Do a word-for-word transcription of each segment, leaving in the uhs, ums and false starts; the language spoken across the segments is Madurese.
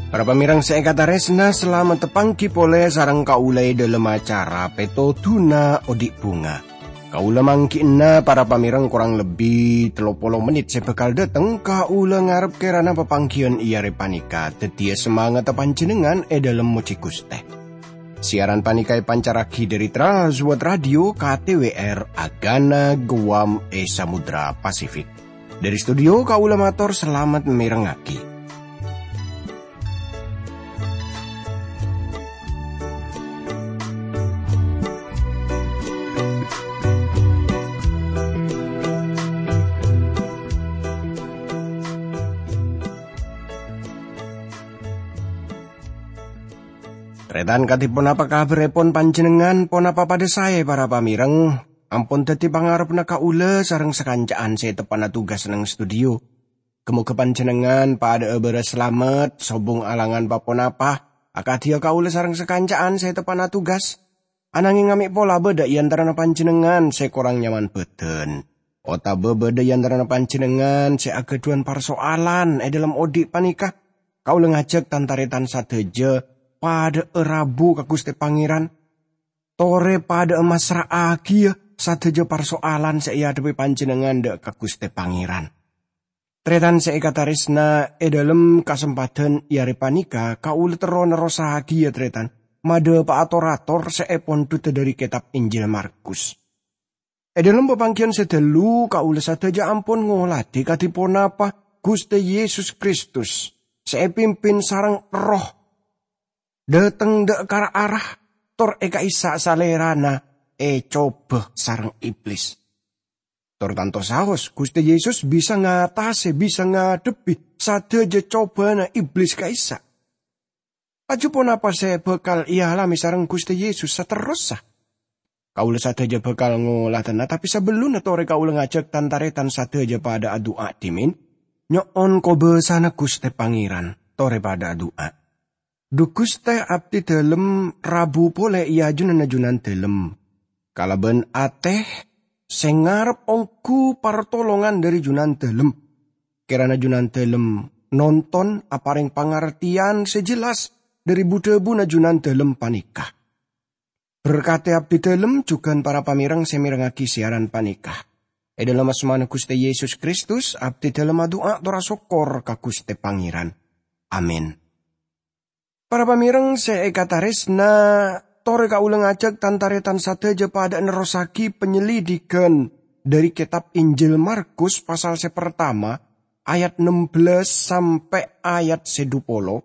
Para pamèrèng sè èkatarèsna, salamet tapangghi polè sareng kaulâ è dhâlem acara Pètodhuna Odi' Bhunga. Kaulâ mangghi'na para pamèrèng korang lebbi tello polo mennit sè bhâkal dhâteng, kaulâ ngarep kèrana papangghiyân è arè panèka dhâddhiyâ samangatta panjhennengngan è dhâlem mojhi Ghustè. Siaran panèka èpancarraghi dhâri Trans World Radio K T W R Agana Guam è Samudra Pasifik. Dhâri studio kaulâ mator salamet mèrengngaghi. Tarètan, kadhi ponapa kabhârrèpon panjhennengngan? Ponapa padhâ saè, para pamèrèng? Ampon dhâddhi pangarebbhâ kaulâ sareng sakanca'an sè teppa'na tugas neng studio. Ghâ-moghâ panjhennengngan padhâ'â bârâs salamet, sobung alangan pa-ponapa, akadhiyâ kaulâ sareng sakanca'an sè teppa'na tugas. Ananghing amè' pola bâdâ è antarana panjhennengngan sè korang nyaman bhâdhân, otabâ bâdâ è antarana panjhennengngan sè aghâdhuwân parsoalan è dhâlem odi' panèka. Kaulâ ngajhâk tan-tarètan sadhâjâ padhâ'â rabu ka Ghustè Pangèran. Torè padhâ'â massra'aghiyâ sadhâjâ parsoalan sè èadhebbhi panjhennengngan dhâ' ka Ghustè Pangèran. Tarètan sè èkatarèsna, è dhâlem kasempadhân è arè panèka kaulâ terro nerrossaghiyâ, tarètan, madhâpa'a tor-ator sè èpondhudhâ dhâri kètab Injil Markus. È dhâlem papangghiyân sè ghâllu, kaulâ sadhâjâ ampon ngolatè kadhi ponapa Ghustè Yesus Kristus sè èpimpin sareng Erroh dhâteng dhâ' ka ra-ara, tor è ka'issa' Salèrana ècobâ sareng Iblis. Tor tanto saos, Ghustè Yesus bisa ngatasè, bisa ngadhebbhi sadhâjâ cobâna Iblis ka'issa'. Laju ponapa sè bhâkal èalamè sareng Ghustè Yesus saterrossa? Kaulâ sadhâjâ bhâkal ngolatana, tapè sabellunna torè kaulâ ngajhâk tan-tarètan sadhâjâ padhâ adu'a dhimèn, nyo'on kobâsana Ghustè Pangèran, torè padhâ adu'a. Dhu Ghustè, abdhi dhâlem rabu polè è ajunanna Junandhâlem. Kalabân atè sè ngarep ongghu partolongan dhâri Junandhâlem. Kèrana Junandhâlem nonton aparèng pangartèyan sè jelas dhâri bu-dhâbuna Junandhâlem panèka. Berkatè abdhi dhâlem jhughân para pamèrèng sè mèrengngaghi siaran panèka. È dhâlem asmana Ghustè Yesus Kristus, abdhi dhâlem adu'a tor asokkor ka Ghustè Pangèran. Amin. Para pamèrèng sè èkatarèsna, torè kaulâ ngajhâk tan-tarètan sadhâjâ padhâ nerrossaghi panyelidikan dhâri kètab Injil Markus pasal sè partama, ayat nem bellâs sampè' ayat sè dhu polo,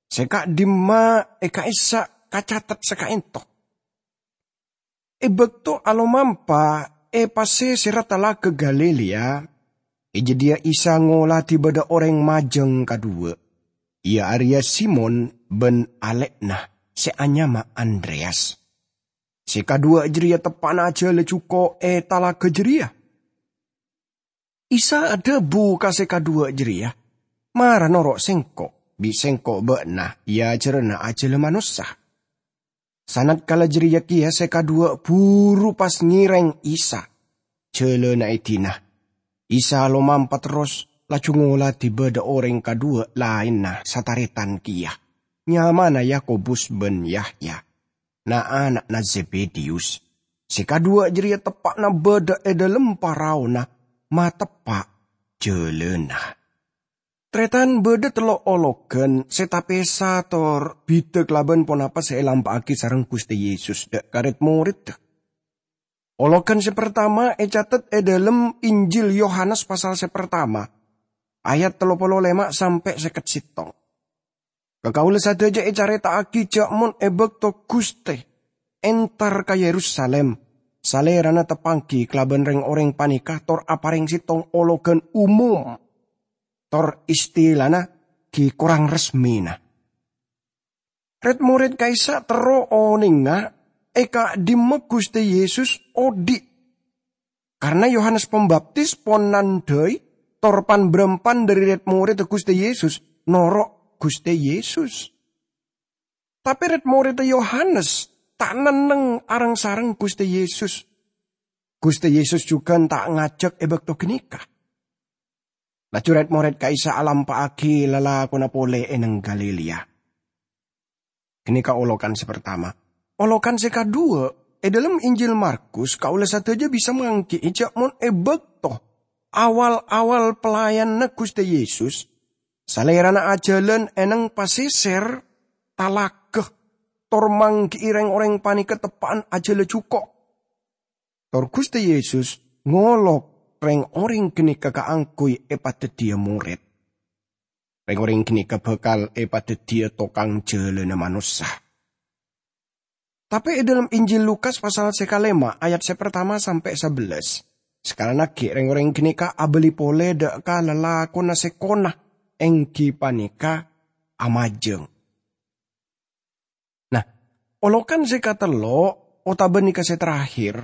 sè ka'dimma è ka'issa' kacatet sakaènto. È bâkto alomampa è pasèserra Talaga Galilea, è jâdiyâ Isa ngolatè bâdâ orèng majâng kadhuwâ', iyâ arèya Simon bân alè'na sè anyama Andreyas. Sè kadhuwâ' jârèya teppa'na ajhâlâ jhuko' è talaga jârèya. Isa adhâbu ka sè kadhuwâ' jârèya, "Mara noro' Sèngko', bi' Sèngko' bâ'na èajhârâna ajhâlâ manossa." Sanatkala jârèya kèya sè kadhuwâ' buru pas ngèrèng Isa jhâlâna è dinna. Isa alomampa terros, laju ngolatè bâdâ orèng kadhuwâ' laènna satarètan kèya, nyamana Yakobus bân Yahya, na'-ana'na Zebediyus. Sè kadhuwâ' jârèya teppa'na bâdâ è dhâlem paraona, mateppa' jhâlâna. Tarètan, bâdâ tello' ologhân sè tapèsa tor bhidhâ kalabân ponapa sè èlampa'aghi sareng Ghustè Yesus dhâ' ka rèd-morèdda. Ologhân sè partama ècatet è dhâlem Injil Yohanes pasal sè partama, ayat tello polo lèma' sampè' sèket sèttong. Ka kaulâ sadhâjâ ècarèta'aghi jâ' mon è bâkto Ghustè entar ka Yerusalim, Salèrana tapangghi kalabân rèng-orèng panèka tor aparèng sèttong ologhân umum, tor istilana ghi' korang resmina. Rèd-morèd ka'issa' terro onènga è ka'dimma Ghustè Yesus odi'. Karna Yohanes Pambaptis pon nandhâi tor pan-bârâmpan dhâri rèd-morèdda Ghustè Yesus noro' Ghustè Yesus. Tape red-moredda Yohanes ta' nenneng areng-sareng Guste Yesus. Guste Yesus jugan ta' ngajak e bakto ganeka. Laju red-mored ka'issa' alampa'agi lalakonna pole e neng Galilea. Ganeka olokan se partama. Olokan se kadhuwa, e dhalem Injil Markus, kaula sadaja bisa manggi'i ja' mon e bakto awal-awal pelayananna Guste Yesus, Salerana ajalan e neng paseser talaga, tor manggi'i reng-oreng paneka teppa'an ajala juko'. Tor Guste Yesus ngolok reng-oreng ganeka kaangguy epadaddiya mored. Reng-oreng ganeka bakal epadaddiya tokang jalana manossa. Tape e dhalem Injil Lukas pasal se kalema ayat se partama sampe' sabellas, sakalannagi reng-oreng ganeka abali pole dha' ka lalakonna se kona, enggi paneka amajang. Nah, olokan se katello' otaba neka se terakhir,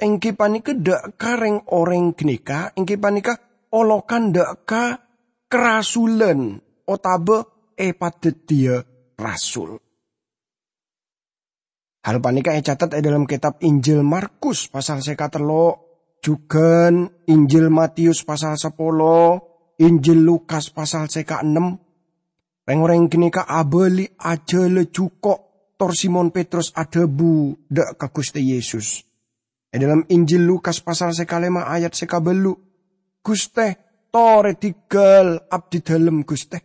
enggi paneka dha' ka reng-oreng ganeka, enggi paneka olokan dha' ka karasulan otaba epadaddiya rasul. Hal paneka ecatet e dhalem ketab Injil Markus pasal se katello', jugan Injil Matius pasal sapolo, Injil Lukas pasal se kaennem. Reng-oreng ganeka abali ajala juko', tor Simon Petrus adhabu dha' ka Guste Yesus. E dhalem Injil Lukas pasal se kalema ayat se kaballu, "Guste, tore digal abdidalem, Guste,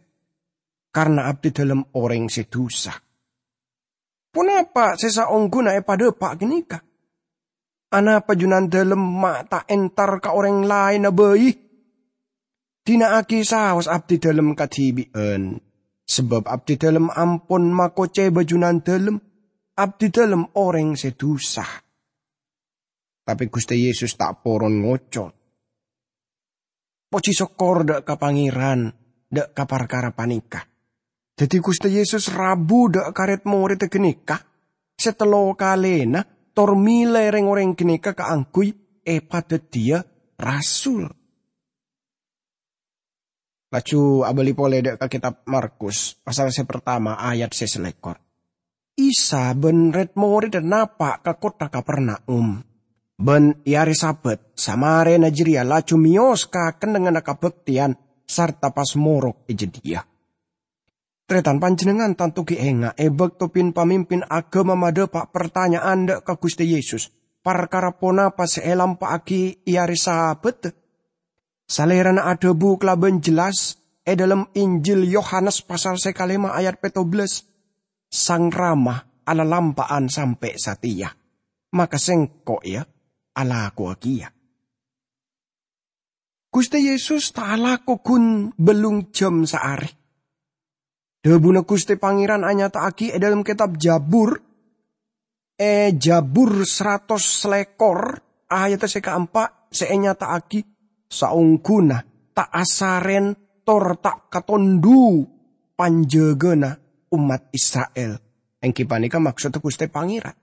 karna abdidalem oreng se dusa." Ponapa se saongguna epadhapa' ganeka? Anapa Junandalem ma' ta' entar ka oreng laenna bai? Dina'agi saos abdidalem kadibi'an, sabab abdidalem ampon makoceba Junandalem, abdidalem oreng se dusa. Tape Guste Yesus ta' poron ngoco'. Poji sokkor dha' ka Pangeran dha' ka parkara paneka. Daddi Guste Yesus rabu dha' ka red-moredda ganeka se tello kalena tor mele reng-oreng ganeka kaangguy epadaddiya rasul. Laju abali pole dha' ka Ketab Markus, pasal se partama, ayat se salekor. Isa ban red-moredda napa' ka kottha Kapernaum. Ban e are Sabat, samarena jareya laju meyos ka kennengnganna kabakteyan sarta pas morok e jadhiya. Taretan, panjennengngan tanto gi' enga' e bakto pin-pamimpin agama madhapa' partanya'an dha' ka Guste Yesus parkara ponapa se elampa'agi e are Sabat. Salerana adhabu kalaban jelas e dhalem Injil Yohanes pasal se kalema ayat petto bellas, "Sang Rama alalampa'an sampe' sateya, maka Sengko', ya, alakowagiya." Guste Yesus ta' alako gun bellung jam saare. Dhabuna Guste Pangeran anyata'agi e dhalem Ketab Jabur, e Jabur saratos salekor, ayat se kaempa', se enyata'agi, "Saongguna ta' asaren tor ta' katondhu panjagana ommat Isra'il," enggi paneka maksodda Guste Pangeran.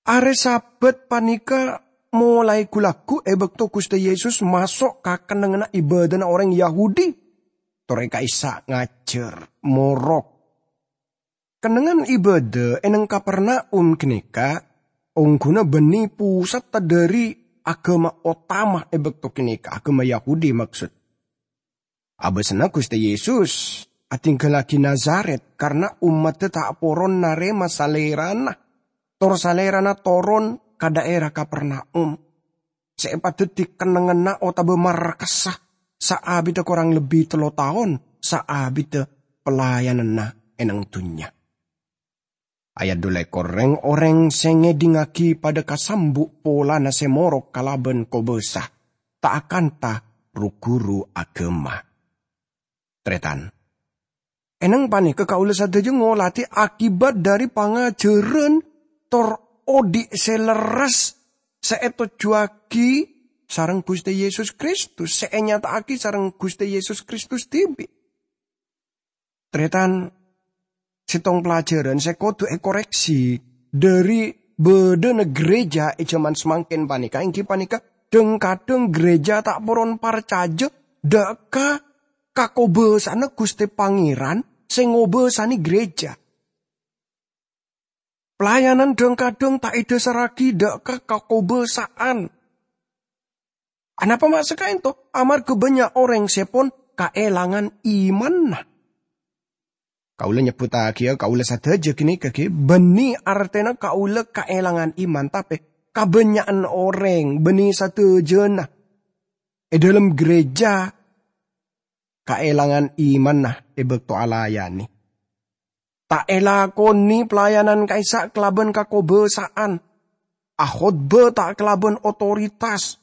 Are Sabat paneka molae gu-lagu e bakto Guste Yesus maso' ka kennengnganna ibadana oreng Yahudi, tor e ka'issa' ngajar, morok. Kennengngan ibadah e neng Kapernaum ganeka ongguna banne pusat dhari agama otama e bakto ganeka, agama Yahudi maksod. Abasana Guste Yesus adinggallagi Nazaret karna ommadda ta' poron narema Salerana, tor Salerana toron ka dhaera Kapernaum, se epadaddi kennengnganna otaba markassa saabidda korang lebbi tello taon saabidda pelayananna e neng dunnya. Ayat dhu lekor, reng-oreng se ngedhingngagi padha kasambu' polana se morok kalaban kobasa, ta' akanta ru-guru agama. Taretan, e neng paneka kaula sadaja ngoladi akibat dhari pangajaran tor odhi' se lerres se etojjuwagi sareng Guste Yesus Kristus, se enyata'agi sareng Guste Yesus Kristus dibi'. Taretan, settong pelajaran se kodu ekoreksi dhari badhana gereja e jaman samangken paneka, enggi paneka dhang-kadhang gereja ta' poron parcaja dha' ka kakobasa'anna Guste Pangeran sè ngobâsane gereja. Pelayanan dhâng-kadhâng ta' èdhâsarraghi dhâ' ka kakobâsa'an. Anapa ma' saka'ento? Amarghâ bânnya' orèng sè pon kaèlangan imanna. Kaulâ nyebbhuttaghiyâ kaulâ sadhâjâ ghânèka ghi' bânnè artèna kaulâ kaèlangan iman, tapè kabânnya'an orèng bânnè sadhâjâna è dhâlem gereja kaèlangan imanna è bâkto alayanè. Ta' èlakonè pelayanan ka'issa' kalabân kakobâsa'an, akhotbâ ta' kalabân otoritas,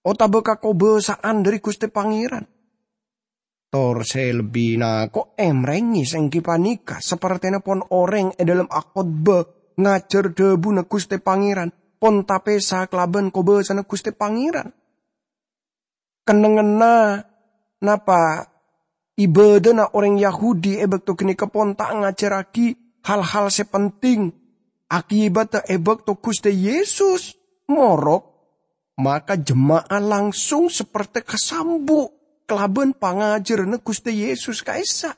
otabâ kakobâsa'an dhâri Ghustè Pangèran. Tor sè lebbi nako' emrèngè sènggi panèka, sapertèna pon orèng è dhâlem akhotbâ ngajhâr dhâbuna Ghustè Pangèran, pon tapèsa kalabân kobâsana Ghustè Pangèran. Kennengnganna napa ibâdâna orèng Yahudi è bâkto ghânèka pon ta' ngajhârraghi hal-hal sè penting. Akibatta è bâkto Ghustè Yesus morok, maka jemma'a langsung sapertè kasambu' kalabân pangajhârânna Ghustè Yesus ka'issa'.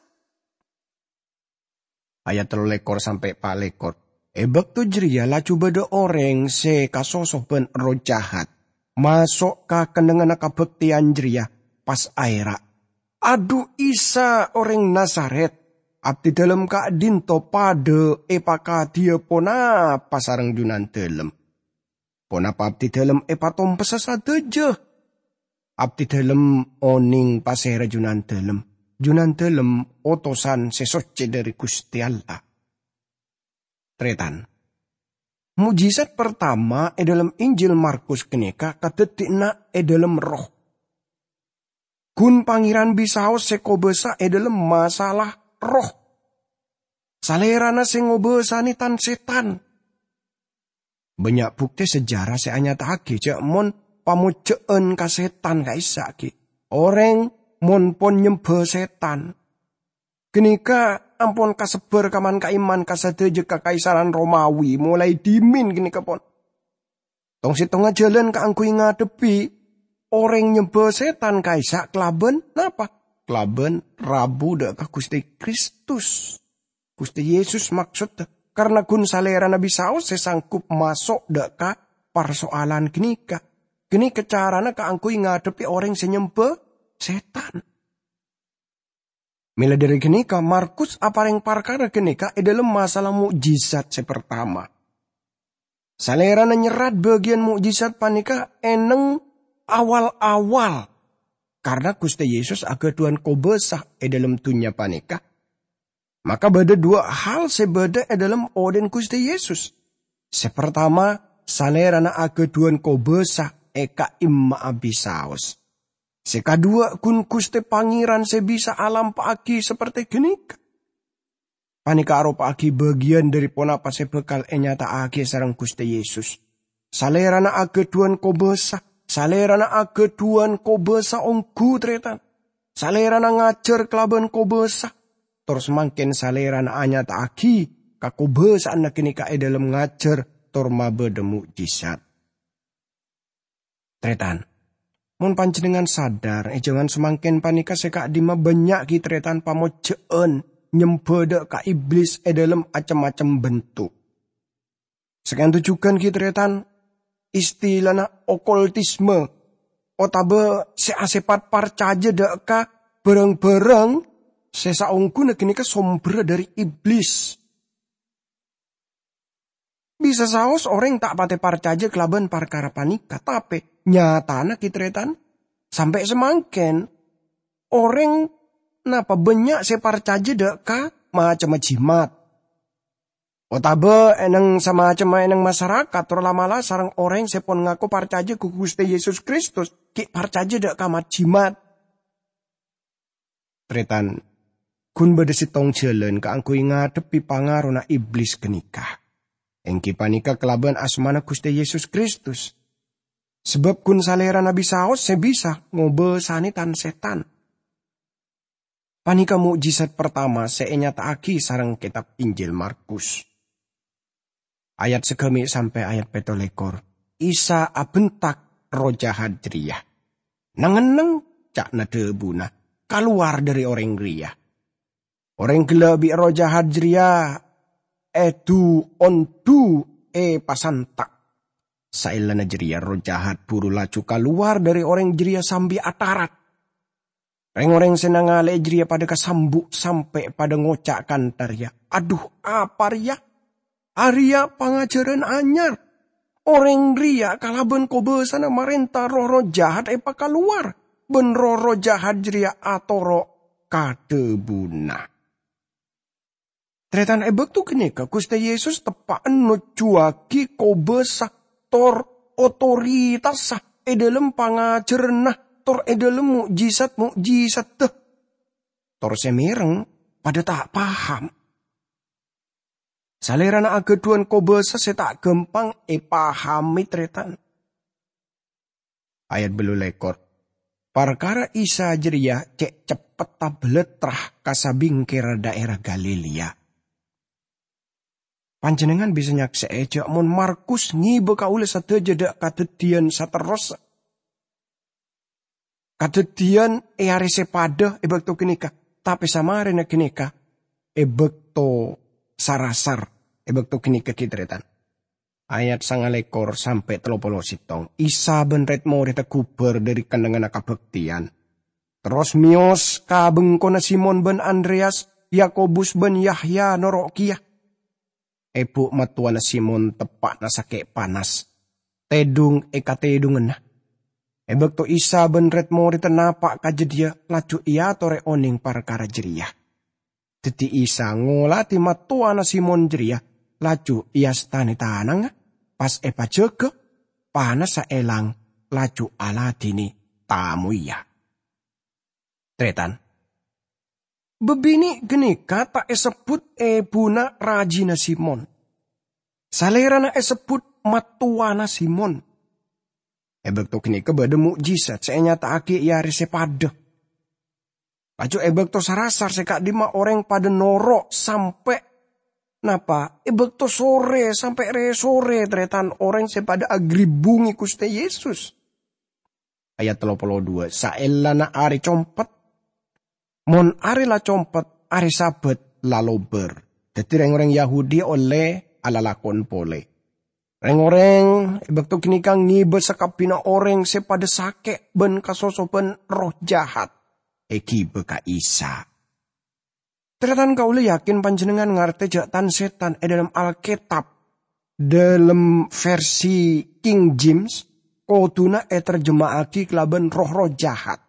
Ayat tello lèkor sampè' pa' lèkor. È bâkto jârèya laju bâdâ orèng sè kasoso bân erroh jahat maso' ka kennengnganna kabhâktèyan jârèya, pas aèra', "Adhu, Isa orèng Nazaret, abdidhâlem ka'dinto padâ èpakadhiyâ ponapa sareng Junandhâlem? Ponapa abdidhâlem èpatompessa sadhâjâ? Abdidhâlem onèng pasèra Junandhâlem. Junandhâlem otosan sè soccè dhâri Ghustè Allah." Tarètan. Mujizat partama è dhâlem Injil Markus ghânèka kadhâddhina è dhâlem erroh. Ghun Pangèran bisaos sè kobâsa è dhâlem masalah erroh. Salèrana sè ngobâsanè tan-sètan. Bânnya' bhuktè sejarah sè anyata'aghi jâ' mon pamojjhâ'ân ka sètan ka'issa' ghi'. Orèng mon pon nyembhâ sètan. Ghânèka ampon kasebbhâr ka man-ka'imman ka sadhâjâ kakaisaran Romawi, molaè dhimèn ghânèka pon. Tong-settongnga jhâlân kaangghuy ngadhebbhi orèng nyembhâ sètan ka'issa' kalabân napa? Kalabân rabu dhâ' ka Ghustè Kristus. Ghustè Yesus maksodda, karna ghun Salèrana bisaos sè sanggup maso' dhâ' ka parsoalan ghânèka. Ghânèka carana kaangghuy ngadhebbhi orèng sè nyembhâ sètan. Mèla dhâri ghânèka, Markus aparèng parkara ghânèka è dhâlem masalah mo'jizat sè partama. Salèrana nyerrat bâgiyân mo'jizat panèka è neng awal-awal, karna Ghustè Yesus aghâdhuwân kobâsa è dhâlem dhunnya panèka. Maka bâdâ duwâ' hal sè bâdâ è dhâlem odhi'na Ghustè Yesus. Sè partama, Salèrana aghâdhuwân kobâsa è ka'imma'a bisaos. Sè kaduwâ', ghun Ghustè Pangèran sè bisa alampa'aghi sapertè ghânèka. Panèka aropa'aghi bâgiyân dhâri ponapa sè bhâkal ènyata'aghi sareng Ghustè Yesus. Salèrana aghâdhuwân kobâsa, Salèrana aghâdhuwân kobâsa ongghu, tarètan. Salèrana ngajhâr kalabân kobâsa. Tor samangkèn Salèrana anyata'aghi kakobâsa'anna ghânèka è dhâlem ngajhâr tor mabâdâ mo'jizat. Tarètan, mon panjhennengngan sadhâr, è jhâman samangkèn panèka sè ka'dimma bânnya' ghi' tarètan pamojjhâ'ân nyembhâ dhâ' ka Iblis è dhâlem cem-macem bentuk. Saka'dinto jhughân ghi' tarètan, istilana okultisme, otabâ sè asèpat parcajâ dhâ' ka bhârâng-bhârâng sè saongghuna ghânèka sombherra dhâri Iblis. Bisa saos orèng ta' patè parcajâ kalabân parkara panèka, tapè nyatana ghi' tarètan, sampè' samangkèn, orèng napa bânnya' sè parcajâ dhâ' ka macemma jimat. Otabâ è neng samacemma è neng masarakat, tor la'-mala' sareng orèng sè pon ngako parcajâ ka Ghustè Yesus Kristus, ghi' parcajâ dhâ' ka mat-jimat. Tarètan, ghun bâdâ sèttong jhâlân kaangghuy ngadhebbhi pangarona Iblis ghânèka, èngghi panèka kalabân asmana Ghustè Yesus Kristus. Sabâb ghun Salèrana bisaos sè bisa ngobâsanè tan-sètan. Panèka mo'jizat partama sè ènyata'aghi sareng Kètab Injil Markus. Ayat saghâmè' sampè' ayat pètto lèkor. Isa abhentak erroh jahat jârèya. "Neng-enneng," ca'na dhâbuna, "kalowar dhâri orèng rèya!" Orèng ghellâ' bi' erroh jahat jârèya èdu-ondu èpasanta'. Saellana jârèya erroh jahat buru laju kalowar dâri orèng jârèya sambi atarat. Rèng-orèng sè nangalè'è jârèya padâ kasambu' sampè' padâ ngoca' kantha rèya, "Adhu, apa rèya? Arèya pangajhârân anyar! Orèng rèya kalabân kobâsana marènta roh-erroh jahat èpakalowar, bân roh-erroh jahat jârèya atoro' ka dhâbuna." Tarètan, è bâkto ghânèka Ghustè Yesus teppa'na nojjhuwâghi kobâsa tor otoritassa è dhâlem pangajhârânna tor è dhâlem mo'jizat-mo'jizadda. Tor sè mèreng padâ ta' paham. Salèrana aghâdhuwân kobâsa sè ta' ghâmpang èpahamè, tarètan. Ayat bâllu lèkor. Parkara Isa jârèya cè' ceppet tabâlâtra ka sabingkèra dhaèra Galilea. Panjhennengngan bisa nyaksè'è jâ' mon Markus ngibâ kaulâ sadhâjâ dhâ' kadhâddhiyân saterrossa. Kadhâddhiyân è arè sè padâ è bâkto ghânèka, tapè samarèna ghânèka è bâkto sarasar è bâkto ghânèka ghi, tarètan. Ayat sangalèkor sampè' tello polo sèttong. Isa bân rèd-morèdda ghubâr dhâri kennengnganna kabhâktèyan, terros mèyos ka bengkona Simon bân Andreyas, Yakobus bân Yahya noro' kèya. Èbhu' mattowana Simon teppa'na sakè' panas, tèdhung è katèdhunganna. È bâkto Isa bân rèd-morèdda napa' ka jâdiyâ, laju èatorè onèng parkara jârèya. Dhâddhi Isa ngolatè mattowana Simon jârèya, laju èastanè tanangnga, pas èpajâgâ, panassa èlang, laju aladhinè tamoyya. Tarètan, bâbinè' ghânèka ta' èsebbhut èbhuna rajina Simon. Salèrana èsebbhut mattowana Simon. È bâkto ghânèka bâdâ mo'jizat sè ènyata'aghi è arè sè padâ. Laju è bâkto sarasar sè ka'dimma orèng padâ noro' sampè' napa? È bâkto sorè sampè' rè-sorè, tarètan, orèng sè padâ agribbungè Ghustè Yesus. Ayat tello polo dua, saellana arè compet. Mon arè la compet, arè Sabat la lobâr. Dhâddhi rèng-orèng Yahudi ollè alalakon polè. Rèng-orèng è bâkto ghânèka ngibâ sakabbhiyânna orèng sè padâ sakè' bân kasosobhân erroh jahat èghibâ ka Isa. Tarètan, kaulâ yakin panjhennengngan ngartè jâ' tan-sètan è dhâlem Alkètab, dhâlem versi King James, kodhuna ètarjema'aghi kalabân roh-erroh jahat.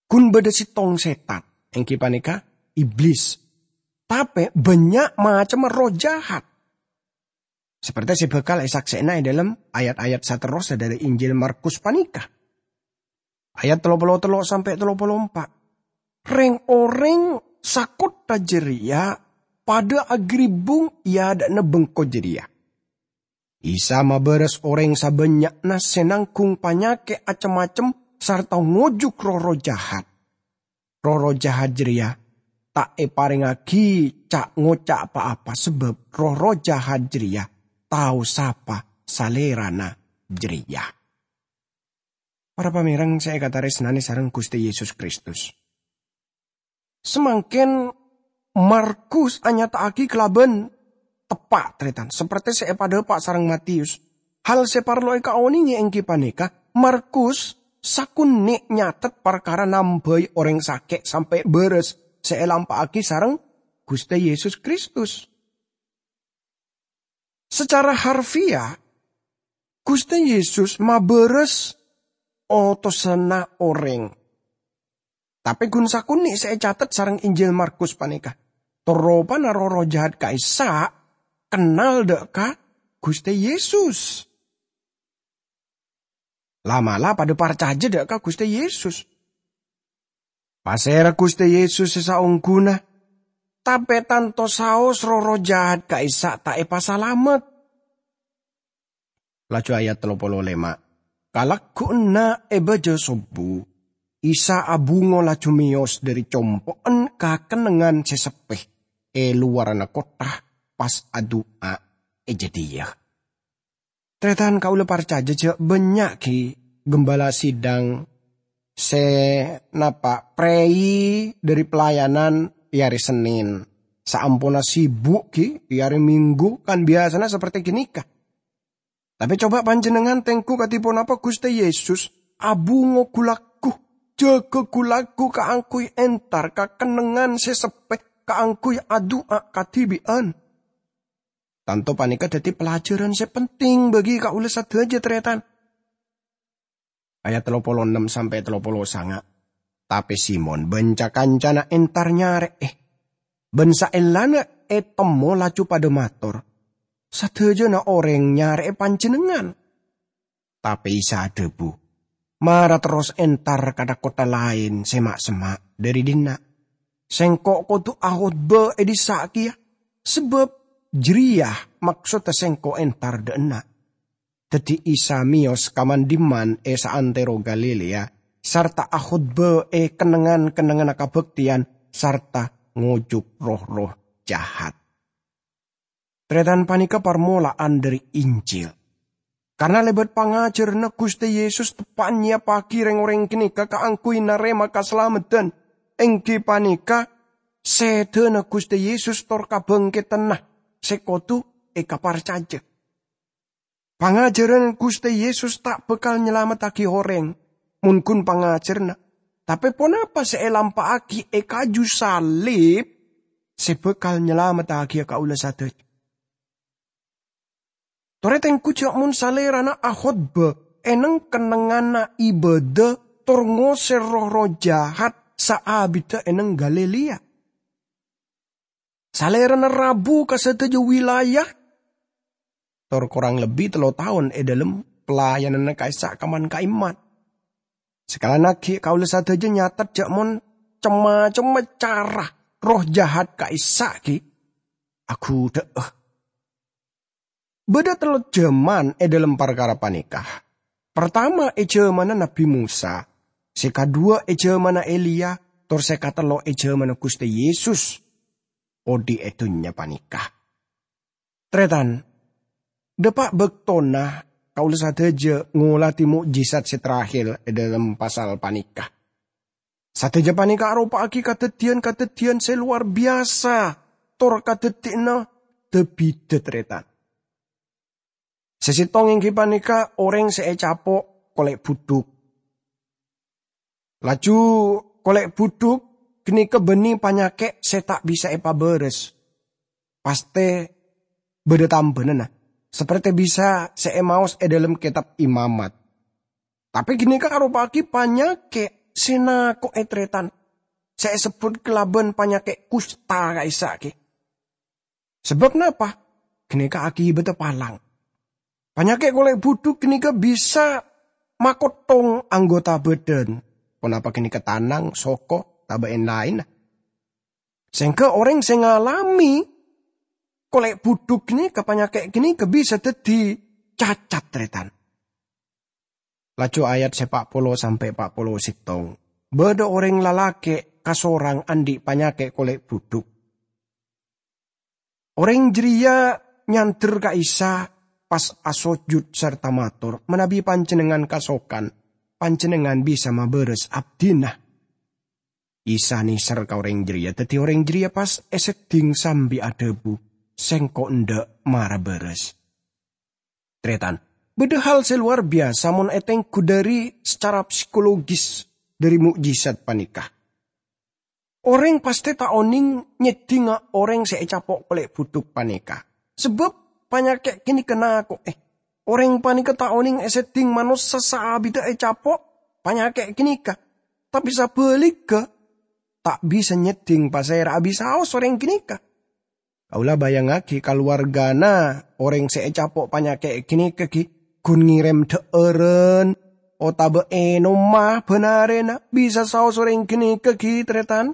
Ghun bâdâ sèttong sètan, èngghi panèka Iblis. Tapè bânnya' macemma erroh jahat. Saperte se bakal esaksena e dhalem ayat-ayat saterrossa dhari Injil Markus paneka. Ayat tello polo tello sampe' tello polo empa'. Reng-oreng sakottha jareya padha agribbung e adha'na bengko jareya. Isa mabaras oreng sabannya'na se nanggung panyake cem-macem sarta ngojuk roh-erroh jahat. Roh-erroh jahat jareya ta' eparengngagi ca'-ngoca' pa-apa, sabab roh-erroh jahat jareya tao sapa Salerana jareya. Para pamereng se ekataresnane sareng Guste Yesus Kristus. Samangken Markus anyata'agi kalaban teppa', taretan, saperte se epadhapa' sareng Matius. Hal se parlo ekaonenge enggi paneka, Markus sakonne' nyatet parkara nambai oreng sake' sampe' baras se elampa'agi sareng Guste Yesus Kristus. Sacara harfiah, Guste Yesus mabaras otosanna oreng. Tape gun sakonne' se ecatet sareng Injil Markus paneka, tor ropana roh-erroh jahat ka'issa' kennal dha' ka Guste Yesus. La'-mala' padha parcaja dha' ka Guste Yesus. Pasera Guste Yesus se saongguna, tape tanto saos roh-erroh jahat ka'issa' ta' epasalamet. Laju ayat tello polo lema', "Kalagguwanna e baja sobbu, Isa abungo laju meyos dhari compo'en ka kennengngan se seppe e lowarana kottha, pas adu'a e jadhiya." Taretan, kaula parcaja ja' bannya' gi' gembala sidang sè napa' prèi dhâri pelayanan è arè Sennèn. Saamponna sibuk ghi' è arè Minggu kan biyasana saperti ghânèka. Tapè coba panjhennengngan tèngghu kadhi ponapa Ghustè Yesus abhungo ghu-lagghu, jâgâ ghu-lagghu kaangghuy entar ka kennengngan sè seppè kaangghuy adu'a kadhibi'ân. Tanto panèka dhâddhi pelajaran sè penting bagi kaulâ sadhâjâ, tarètan. Ayat tello polo ennem sampè' tello polo sanga'. Tapè Simon bân ca-kancana entar nyarè'è. Bân saellana ètemmo laju padâ mator, "Sadhâjâna orèng nyarè'è Panjhennengngan." Tapè Isa adhâbu, "Mara terros entar ka dâ'-koddhâ laèn sè ma'-semma' dhâri dinna'. Sèngko' kodhu akhotbâ è dissa' kèya, sabâb jârèya maksodda Sèngko' entar dâ' enna'." Dhâddhi Isa mèyos ka man-dimman è saantèro Galilea, sarta akhotbâ è kennengngan-kennengnganna kabhâktèyan sarta ngojuk roh-erroh jahat. Tarètan, panèka parmola'an dhâri Injil. Karna lèbât pangajhârânna Ghustè Yesus teppa' nyèyappaghi rèng-orèng ghânèka kaangghuy narèma kasalameddhân, èngghi panèka sèdhâna Ghustè Yesus tor kabhângkèdhânna sè kodhu èkaparcajâ. Pangajhârân Ghustè Yesus ta' bhâkal nyalamettaghi orèng, mon ghun pangajhârânna. Tapè ponapa sè èlampa'aghi è kaju salib sè bhâkal nyalamettaghi kaulâ sadhâjâ? Torè tèngghu jâ' mon Salèrana akhotbâ è neng-kennengnganna ibâdâ tor ngosèr roh-erroh jahat saabiddhâ è neng Galilea. Salèrana rabu ka sadhâjâ wilayah, tor korang lebbi tello taon è dhâlem pelayananna ka'issa' ka man-ka'imman. Sakalèyan aghi' kaulâ sadhâjâ nyatet jâ' mon cem-macemma cara roh jahat ka'issa' ghi' aghudhâ'â. Bâdâ tello jhâman è dhâlem parkara panèka. Partama è jhâmanna Nabbhi Mosa, sè kaduwâ è jhâmanna Eliya, tor sè katello è jhâmanna Ghustè Yesus odhi' è dhunnya panèka. Tarètan, dâpa' bâktona kaulâ sadhâjâ ngoladhi mo'jizat sè terakhir è dhâlem pasal panèka. Sadhâjâ panèka aropa'aghi kadhâddhiyân-kadhâddhiyân sè lowar biyasa, tor kadhâddhiyânna dâ-bidâ, tarètan. Sè sèttong èngghi panèka orèng sè ècapo' kolè' budhuk. Laju kolè' budhuk ghânèka bânnè panyakè' sè ta' bisa èpabârâs. Pastè bâdâ tambhâna, sapertè bisa sè èmaos è dhâlem Kètab Imamat. Tapè ghânèka aropa'aghi panyakè' sè nako'è, tarètan, sè èsebbhut kalabân panyakè' kusta ka'issa' ghi'. Sabâb napa? Ghânèka akibatta palang. Panyakè' kolè' budhuk ghânèka bisa makottong anggota bhâdhân, ponapa ghânèka tanang, soko, tabâ' èn-laènna. Sèngghâ orèng sè ngalamè kolè' budhuk ghânèka, panyakè' ghânèka bisa dhâddhi cacat, tarètan. Laju ayat sè pa' polo sampè' pa' polo sèttong. Bâdâ orèng lalakè' kasorang andi' panyakè' kolè' budhuk. Orèng jârèya nyandher ka Isa, pas asojud sarta mator, "Manabi Panjhennengngan kasokan, Panjhennengngan bisa mabârâs abdhina." Isa nèser ka orèng jârèya, dhâddhi orèng jârèya pas èseddhing sambi adhâbu, "Sèngko' endâ', mara bârâs." Tarètan, bâdâ hal sè lowar biyasa mon ètengghu dhâri sacara psikologis dhâri mo'jizat panèka. Orèng pastè ta' onèng nyèddhinga orèng sè ècapo' kolè' budhuk panèka, sabâb panyakè' ghânèka nako'è. Orèng panèka ta' onèng èseddhing manossa saabiddhâ ècapo' panyakè' ghânèka, tapè sabhâligghâ, ta' bisa nyèddhing pasèra'a bisaos orèng ghânèka. Kaulâ bâjângaghi kalowarghâna orèng sè ècapo' panyakè' ghânèka ghi' ghun ngèrèm dhâ'ârân otabâ ènomma bân arèna, bisa saos orèng ghânèka ghi', tarètan.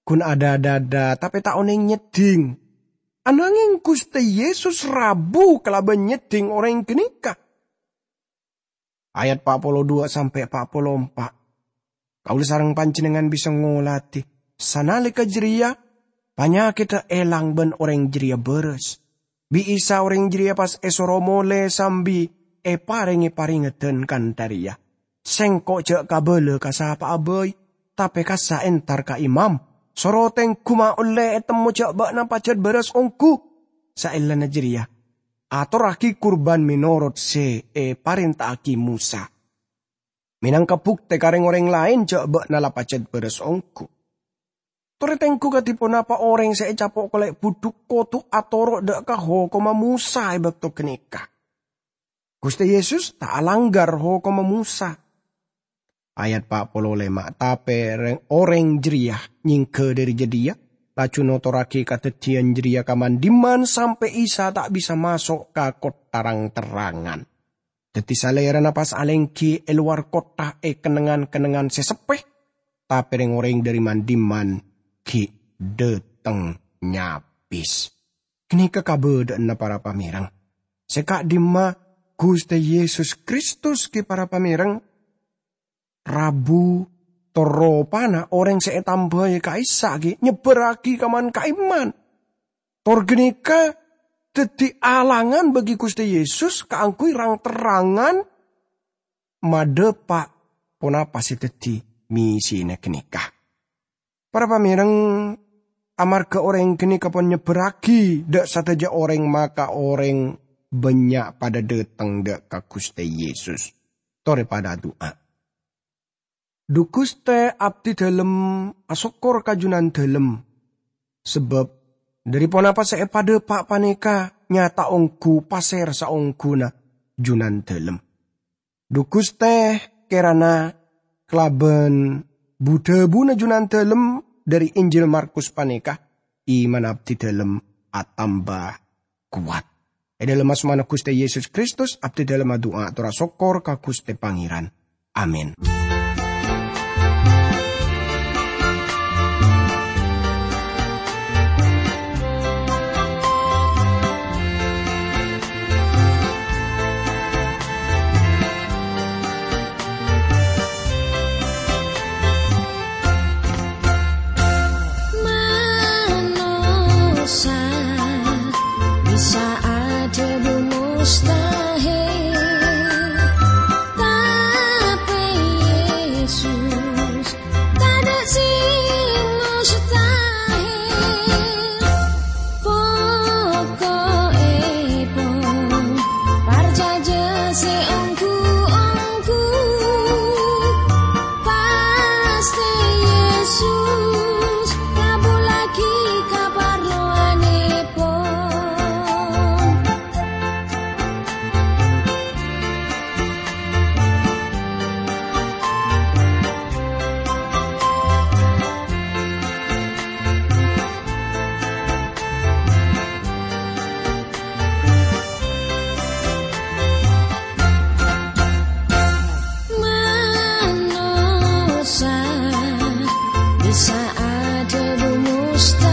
Ghun adâ-dâdâ, tapè ta' onèng nyèddhing. Ananghèng Ghustè Yesus rabu kalabân nyèddhing orèng ghânèka. Ayat pa' polo duwâ' sampè' pa' polo empa'. Kaulâ sareng panjhennengngan bisa ngoladhi. Sanalèka jârèya, panyakèddhâ èlang bân orèng jârèya bârâs. Bi' Isa orèng jârèya pas èsoro molè sambi èparèngè parèngedhân kantha rèya, Sengko' ja' kabala ka sapa'a bai, tape kassa' entar ka imam, soro tenggu ma' olle etemmo ja' ba'na pajat baras onggu. Saellana jareya, atorragi kurban menorot se eparenta'agi Mosa, menangka bukte ka reng-oreng laen ja' ba'na la pajat baras onggu. Tore tenggu kadi ponapa oreng se ecapo' kole' budhuk kodu atoro' dha' ka hokomma Mosa e bakto ganeka. Guste Yesus ta' alanggar hokomma Mosa. Ayat pa' polo lema, tape reng-oreng jareya nyengga dhari jadhiya, laju notorragi kadaddiyan jareya ka man-dimman sampe' Isa ta' bisa maso' ka kottha rang-terrangan. Daddi salerana pas alenggi e lowar kottha e kennengngan-kennengngan se seppe, tape reng-oreng dhari man-dimman gi' dhateng nyabis. Ganeka kabadha'anna para pamereng. Se ka'dimma Guste Yesus Kristus gi' para pamereng, rabu tor ropana oreng se etambai ka'issa' gi' nyebbarragi ka man-ka'imman. Tor ganeka daddi alangan bagi Guste Yesus kaangguy rang-terrangan madhapa' ponapa se daddi missina ganeka. Para pamereng, amarga oreng ganeka pon nyebbarragi dha' sadaja oreng, maka oreng bannya' padha dhateng dha' ka Guste Yesus. Tore padha adu'a. Dhu Guste, abdidalem asokkor ka Junandalem, sabab dhari ponapa se epadhapa' paneka nyata onggu paser saongguna Junandalem. Dhu Guste, kerana kalaban bu-dhabuna Junandalem dhari Injil Markus paneka, iman abdidalem atamba kowat. E dhalem asmana Guste Yesus Kristus, abdidalem adu'a atorra sokkor ka Guste Pangeran. Amin. Manossa bisa adhâbu mustahil, tapè Yesus tadâ' sè mustahil. Poko'èpon parcajâ sè ongghu-ongghu, pastè Yesus ngabhullaghi kaparlowanèpon. Manossa bisa adhâbu mustahil.